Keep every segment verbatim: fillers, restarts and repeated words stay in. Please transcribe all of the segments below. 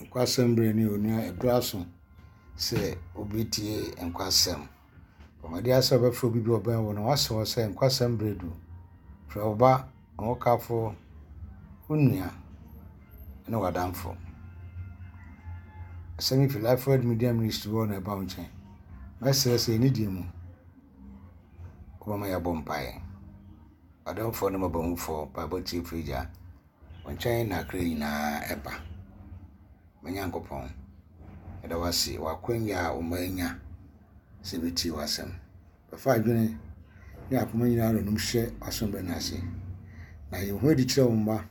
Nkwasɛm berɛ ne onua ɛberɛ aso sɛ wobɛtie nkwasɛm. Bɔ mmɔden ara sɛ wobɛfrɛ obi bi a ɔbɛn wo na woasrɛ wo sɛ nkwasɛm berɛ du. Frɛ wo ba, wo hokafo, wo nua ne w'adamfo. Asɛm yi fi Life Word Media Ministry hɔ na ɛba wo nkyɛn. Mɛsrɛ sɛ ɛnidie mu wobɛma yɛabɔ mpaeɛ. Ɔdomfoɔ ne mmɔborɔhunufoɔ, mpaebɔ tiefoɔ Agya, wo nkyɛn na akra nyinaa ɛba. Me Nyankopɔn, yɛda wo ase wɔ akwanya a wo mma anya sɛ yɛbɛtie w'asɛm. Bɛfa adwene ne akoma nyinaa nom hyɛ w'asomdwe no ase. Na yɛn ho adi kyerɛ wo mma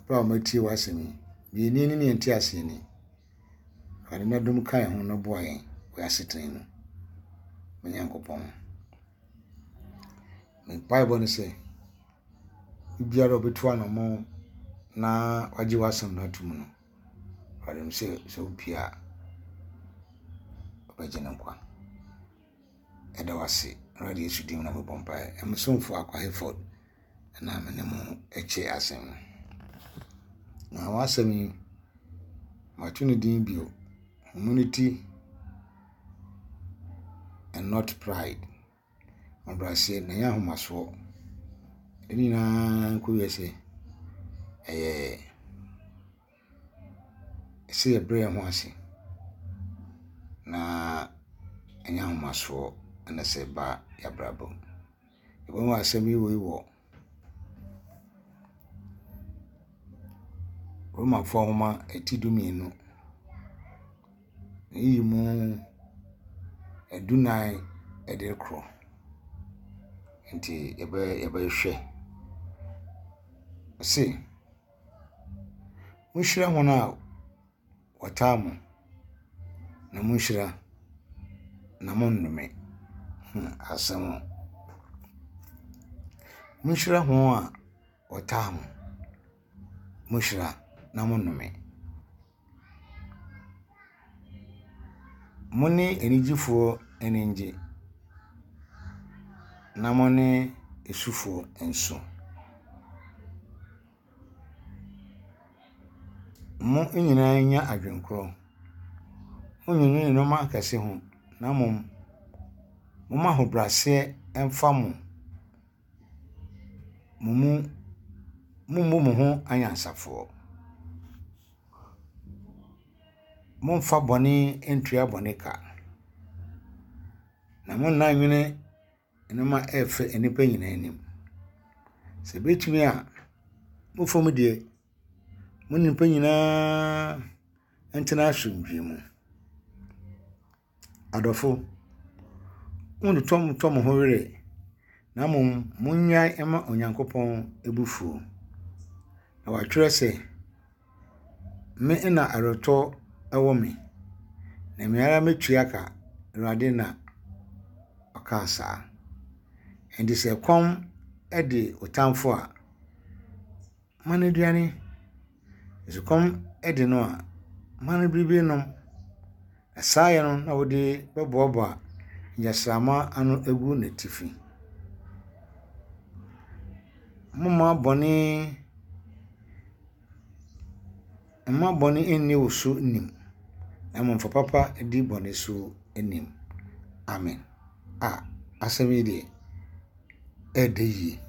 berɛ a wɔatie w'asɛm yi. Deɛ yɛnni ne ne yɛnte aseɛ ni. Awurade na dom ka yɛn ho na boa yɛn wɔ yɛn asetena mu. Me Nyankopɔn, me mpaebɔ ne sɛ, obiara a ɔbɛtu anammɔn na wagye w'asɛm no atom no, Awurade nim sɛ sɛ wopue a, ɔbɛgye no nkwa. Ɛda wo ase. Awurade Yesu din mu na mebɔ mpaeɛ. Me somfo Akwa Hayford na me ne mo kyɛ asɛm no. Na w'asɛm yi, mato ne din bio, Humility and not pride. Ahobrɛaseɛ na ɛnyɛ ahomasoɔ. Ne nyinaa nkɔwie sɛ ɛyɛ sɛ yɛbrɛ yɛn ho ase na ɛnyɛ ahomasoɔ na sɛ ɛba yɛabrabɔ mu. Yɛbɛhu asɛm yi wei wɔ Romanfoɔ nwoma eti du mmienu. Eyi mu adunan de rekorɔ. Nti yɛbɛ yɛbɛhwɛ. Ɔse, monhyira wɔn a wɔtaa mo, na monhyira na monnome. Hmm, asɛm o. Monhyira wɔn a wɔtaa mo. Monhyira na monnome. Mo ne anigyefoɔ ani nnye, na mo ne esufoɔ nso. Mo nyinaa nya adwenkorɔ. Monnnwennwene nneɛma akɛse ho, na mmom, momma ahobrɛaseɛ mfa mo mo mu mommu mo ho anyansafoɔ. Mommfa bɔne ntua bɔne ka, na monna nnwene nneɛma a ɛyɛ fɛ nnipa nyinaa anim. Sɛ ebetumi a, mo fam deɛ, mo ne nnipa nyinaa ntena asomdwie mu. Adɔfo, monntotɔ mo ho werɛ, na mmom monnyae mma Onyankopɔn abufuo. Na wɔatwerɛ sɛ, me na aweretɔ wɔ me, na me ara metua ka, Awurade na ɔkaa saa. Enti sɛ kɔm de wo tamfo a, ma no aduane. Sɛ kɔm de no a, ma no biribi nnom. Na saa yɛ no na wode bɛboaboa ngyasramma ano agu n'atifi. Momma bɔne mma bɔne nni wo so nim, na mmom fa papa di bɔne so nim. Amen. A asɛm yi deɛ, ɛɛdɛ yie.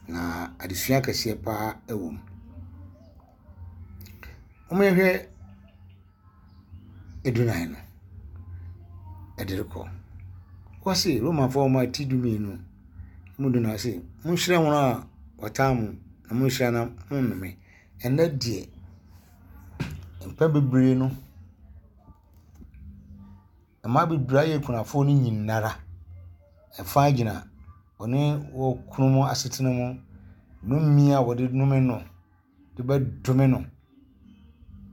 Na adesua kɛseɛ paa wɔ mu. Momma yɛnhwɛ adunan no ɛde rekɔ. Wɔse Romanfoɔ nwoma ti du mmienu mu dunan se, monhyira wɔn a wɔtaa mo, na monhyira na monnome. Ɛnnɛ deɛ, mpɛn bebree no, mmaa bebree ayɛ akunafoɔ no nyinara, ɛfa gyina wɔne wɔn kununom asetena mu, nnome a wɔde nome no de bɛdome no.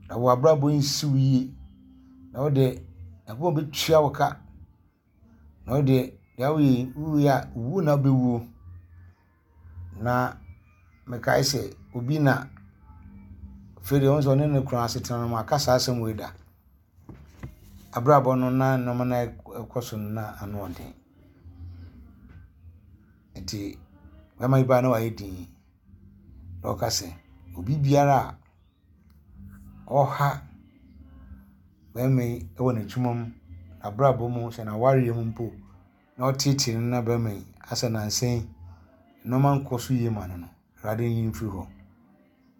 Na w'abrabɔ nsi wo yie. Na wo deɛ, Nyankopɔn bɛtua wo ka. Na wo deɛ, deɛ woyɛ yi, wowie a, wu na wobɛwuo. Na mekae sɛ obi na afei deɛ wohu sɛ ɔne ne kunu asetena no mu aka saa asɛm wei da. Abrabɔ no na nneɛma no ɛkɔ so no na ano ɔden. Nti bɛrima yi baa na wayɛ dinn. Na ɔka sɛ, obi biara a ɔha bɛrima yi wɔ n'adwuma mu, n'abrabɔ mu, sɛ n'awareɛ mu mpo, na ɔteetee no na bɛrima yi asɛ nansa yi nneɛma nkɔ so yie ma no no, Awurade nyi no mfiri hɔ.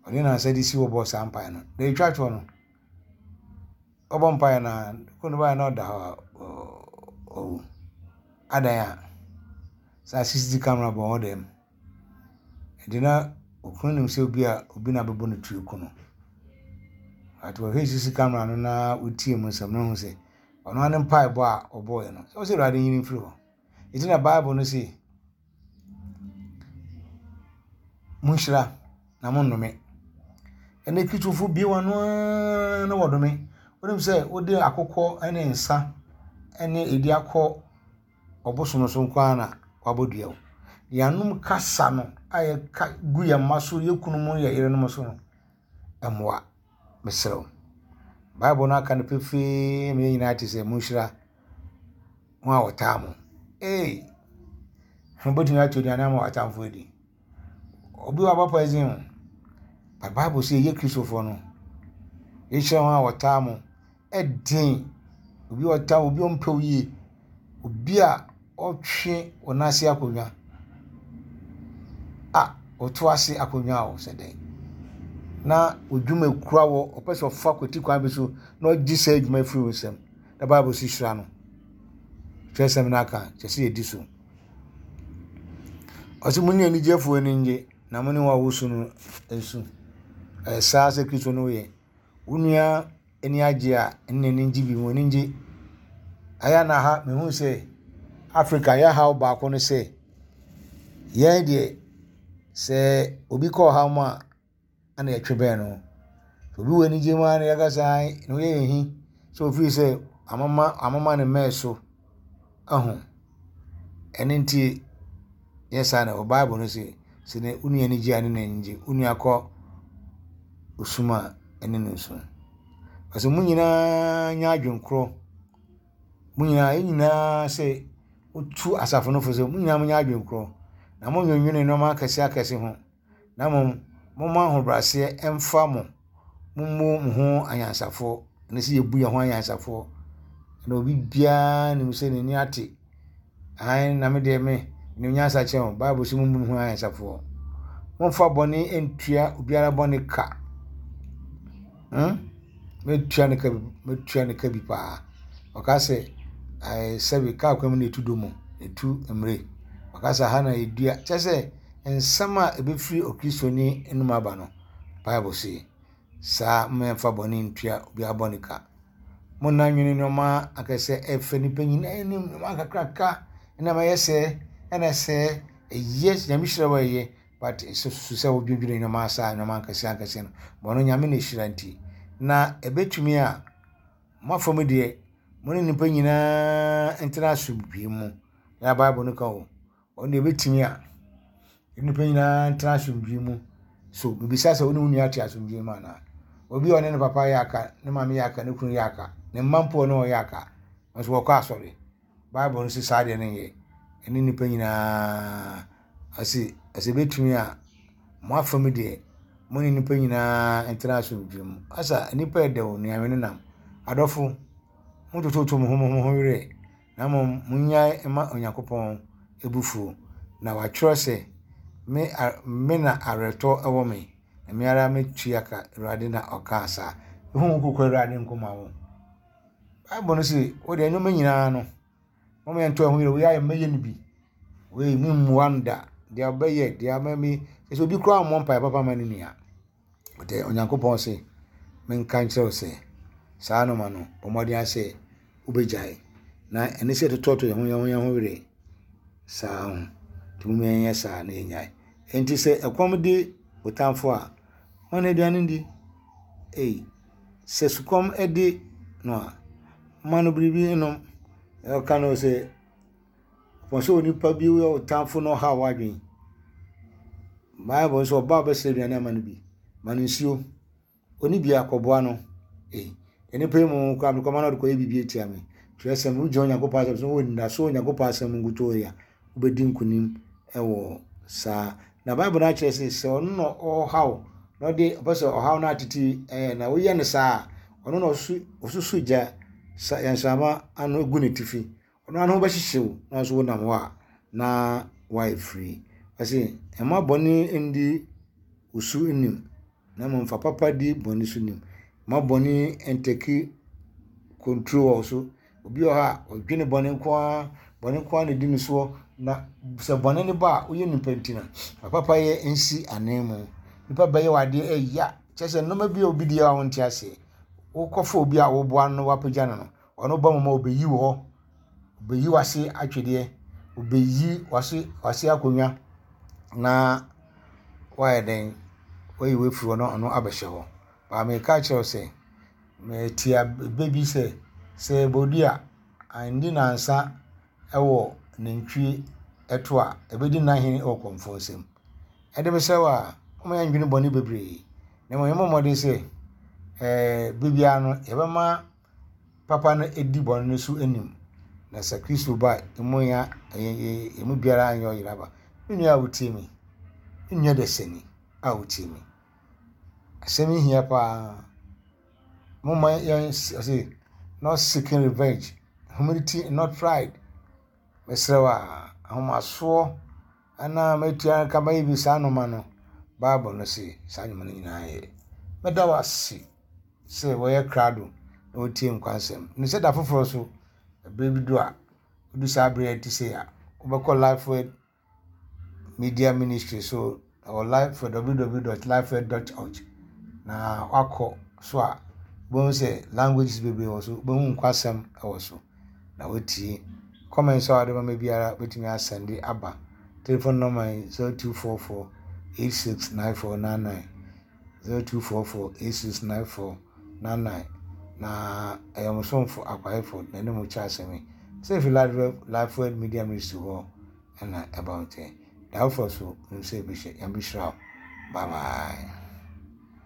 Ɔde nansa de si hɔ bɔɔ saa mpaeɛ no. Na ɛtwa toɔ no, ɔbɔ mpaeɛ no a, kunu baeɛ na ɔda hɔ a ɔwu. Adan a saa C C T V camera bɔ hɔ dɛm. Nti na okunu nim sɛ obi a obi na bɛbɔ no tuo ku no. But wɔhwɛ C C T V camera no na wotie mu nsɛm no hu sɛ ɔno ara ne mpaebɔ a ɔbɔeɛ no, sɛ ɔsɛ Awurade nyi no mfiri hɔ. Nti na Bible no se, monhyira na monnome. Ɛnɛ Kristofo bue wɔn ano ara na wɔdome. Wonim sɛ wode akokɔ ne nsa ne edi akɔ ɔbosom so nko ara na wabɔ dua wo. Yɛanom kasa no a yɛka gu yɛn mma so, yɛn kununom ne yɛn yerenom so no, ɛmmoa. Mesrɛ wo. Bible no aka no pefee ma yɛn nyinaa te sɛ monhyira wɔn a wɔtaa mo. Ee, wobɛtumi ato aduane ama w'atamfo adi. Obi wɔ abɔ poison o. But Bible sɛ yɛyɛ Kristofoɔ no, yɛhyira wɔn a wɔtaa mo. Ɛden. Obi a ɔtaa wo, obi a ɔmpɛ wo yie, obi a ɔtwe wo nan ase akonnwa a ɔto ase akonnwa o sɛ dɛn. Na odwuma kura wɔ, ɔpɛ sɛ ɔfa kwati kwan bi so na ɔgye saa adwuma firi wo nsam. Na Bible si hyira no. Twerɛsɛm no aka, kyerɛ sɛ yɛdi so. Ɔsɛ mo ne anigyefoɔ ani nnye na mo ne wɔn a wosu no nsu. Ɛyɛ saa sɛ Kristo no yɛ. Wo nua ani agye a, ɛne n'ani ngye bi, wɔn ani ngye. Ɛyɛ na ha mehu sɛ Africa yɛ haw baako no sɛ yɛn deɛ sɛ obi kɔ ɔhaw mu a ɛna yɛtwe bɛn no. Obi wɔ anigye mu a na yɛka sɛ ae na ɔyɛ yɛn hi sɛ ofiri sɛ amama amama ne mmɛn so ahu. Ɛno nti yɛ saa na wɔ Bible no sɛ sɛ ne wo nua ani gye a ne n'ani gye, wo nua kɔ osum a ɛne no nsu. Ɔsɛ mo nyinaa nyɛ adwenkorɔ. Mo nyinaa yɛn nyinaa sɛ wotu asafo no fo sɛ mo nyinaa monyɛ adwenkorɔ na monnwennwene nneɛma akɛse akɛse ho na mmom momma ahobrɛaseɛ ɛmfa mo. Mommu mo ho anyansafoɔ. Ɛne sɛ yɛbu yɛn ho anyansafoɔ. Na obi biara nim sɛ n'ani ate. Ae na me deɛ me nim nyansa kyerɛ wo. Bible sɛ mommu mo ho anyansafoɔ. Momfa bɔne ntua obiara bɔne ka. Hmm? Mɛtua ne ka bi, mɛtua ne ka bi paa. Ɔka sɛ ɛɛ sɛbi kaa kwan mu na etu do mu, etu mmire. Ɔka sɛ ha na yɛdua. Kyerɛ sɛ nsɛm a ɛbɛfiri okristoni anom aba no, Bible se saa mmɛmfa bɔne ntua obiara bɔne ka. Monna nwene nneɛma akɛsɛ ɛfɛ nipa nyinaa anim, nneɛma kakraka ɛna ɛyɛ sɛ ɛna sɛ ɛyɛ Nyame hyira wo a ɛyɛ but susu sɛ wodwendwene nneɛma saa nneɛma akɛse akɛse no bɔno Nyame na ɛhyira nti. Na ɛbɛtumi a mo afa mu deɛ mo ne nipa nyinaa ntena asomdwie mu. Na Bible no ka o, ɔno deɛ ɛbɛtumi a nipa nyinaa ntena asomdwie mu. So bibisa sɛ wo ne wo nua te asomdwie mu anaa? Obi a ɔne ne papa yɛ aka, ne maame yɛ aka, ne kunu yɛ aka, ne mma mpo ɔne wɔn yɛ aka, nso wɔkɔ asɔre. Bible no sɛ saa deɛ no nyɛ. Ɛne nipa nyinaa ɔse ɛsɛ ɛbɛtumi a mo afa mu deɛ mo ne nipa nyinaa ntena asomdwie mu. Asa nipa ɛdɛ o, nnuane no nam. Adɔfo, montototo mo ho mo ho werɛ na mmom monnyae mma Onyankopɔn abufuo. Na watwerɛ sɛ me, me na awerɛtɔ ɛwɔ me, na me ara mɛtua ka, Awurade na ɔkaa saa. Ehu wo kokɔ Awurade nkoma wo. Bible no se wo deɛ nneɛma nyinaa no, moma yɛnto ɛho yerɛ, wei ayɛ mɛyɛ no bi. Wei memmua no da. Deɛ ɔbɛyɛ, deɛ ama mi, sɛ obi koraa mmɔ mpaeɛ papa ma ne nua. But Onyankopɔn se menka nkyerɛ wo sɛ saa nneɛma no, bɔ mmɔden sɛ wobɛgyae. Na ɛne sɛ yɛtotɔtɔ yɛn ho yɛn ho yɛn ho werɛ saa ho. Nti momma yɛnyɛ saa na yɛnyae. Enti sɛ ɛkɔm de wo tamfo a, ma no aduane ndi. Ei, sɛ sukɔm de no a, ma no biribi nnom. Ɔka no sɛ, wɔn sɛ onipa bi yɛ wo tamfo na ɔhaw w'adwene. Bible nso ɔba a ɔbɛsrɛ aduane ama no bi. Ma no nsuo. Ɔni bi a kɔboa no. Ei, nnipa yi mu koraa mekɔma no ɔde kɔyɛ biribi atia me. Twerɛsɛm, wogyina Onyankopɔn asɛm so, wɔ anidaso Onyankopɔn asɛm nkutoo yi a, wobɛdi nkonim wɔ saa. Na Bible no akyerɛ sɛ sɛ ɔno na ɔhaw Na ɔde ɔpɛ sɛ ɔhaw no atete ɛɛ na woyɛ no saa a, ɔno na ɔsu ɔsusu gya sa nsrama ano gu ne tifi. Ɔno ano bɛhyehye wo na nso wonam hɔ a na woayɛ free. Ɔse mma bɔne ndi wo so nim na mmom fa papa di bɔne so nim. Mma bɔne ntake control wɔ wo so. Obi wɔ hɔ a ɔdwene bɔne nko ara, bɔne nko ara na edi ne soɔ na sɛ bɔne no ba a woyɛ nipa nti no fa papa yɛ nsi anan mu. Nipa bɛyɛ wo adeɛ ɛya kyerɛ sɛ nneɛma bi a obi di a wonte aseɛ. Wokɔfa obi a woboa no na woapagya no no, ɔno ba mu ma obeyi wo hɔ. Obeyi w'ase atwedeɛ. Obeyi w'ase w'ase akonnwa na woayɛ dɛn wayi wo afiri hɔ na ɔno abɛhyɛ hɔ. Baa meka kyerɛ wo sɛ metia bɛ bi sɛ sɛ bodua andi nansa ɛwɔ nantwie ɛto a ɛbɛdi n'ahene ɛwɔ kɔmfoɔ nsam. Ɛde mesrɛ wo a moma yɛndwene bɔne bebree na mmom yɛmmɔ mmɔden sɛ ɛɛ biribiara no yɛbɛma papa no edi bɔne no so anim. Na sɛ Kristo ba a emu ya emu biara anyɛ ɔyera ba. Me nua a wotie me, me nua dasani a wotie me. Asɛm yi hia paa. Momma yɛn ɔse not seeking revenge, humility not pride. Mesrɛ wo a ahomasoɔ anaa mɛtua nka bɛyɛ bi saa nneɛma no, Bible no se saa nneɛma no nyinaa yɛ. Mɛda wo ase sɛ wɔyɛ krado na wotie nkwansɛm. Ne sɛ da foforɔ so, ɛberɛ bi du a, wodu saa berɛ a ɛte sei a, wobɛkɔ Lifeword Media Ministry so ɛwɔ life www.lifeword.org na wakɔ so a wobɛhu sɛ languages bebree wɔ so, wobɛhu nkwasɛm ɛwɔ so na wotie. Comments a wɔde bɛma biara wobɛtumi asɛnde aba. Telephone number yi zero two four four eight six nine four nine nine zero two four four eight six nine four nine nine na ɛyɛ mo somfo Akwaefo na ɛne mo kyɛ asɛm yi. Sɛ efi Lifeword Media Ministry hɔ ɛna ɛba wo nkyɛn. Da foforɔ so, nim sɛ ebi hyɛ, Nyame bɛhyira wo. Bye bye.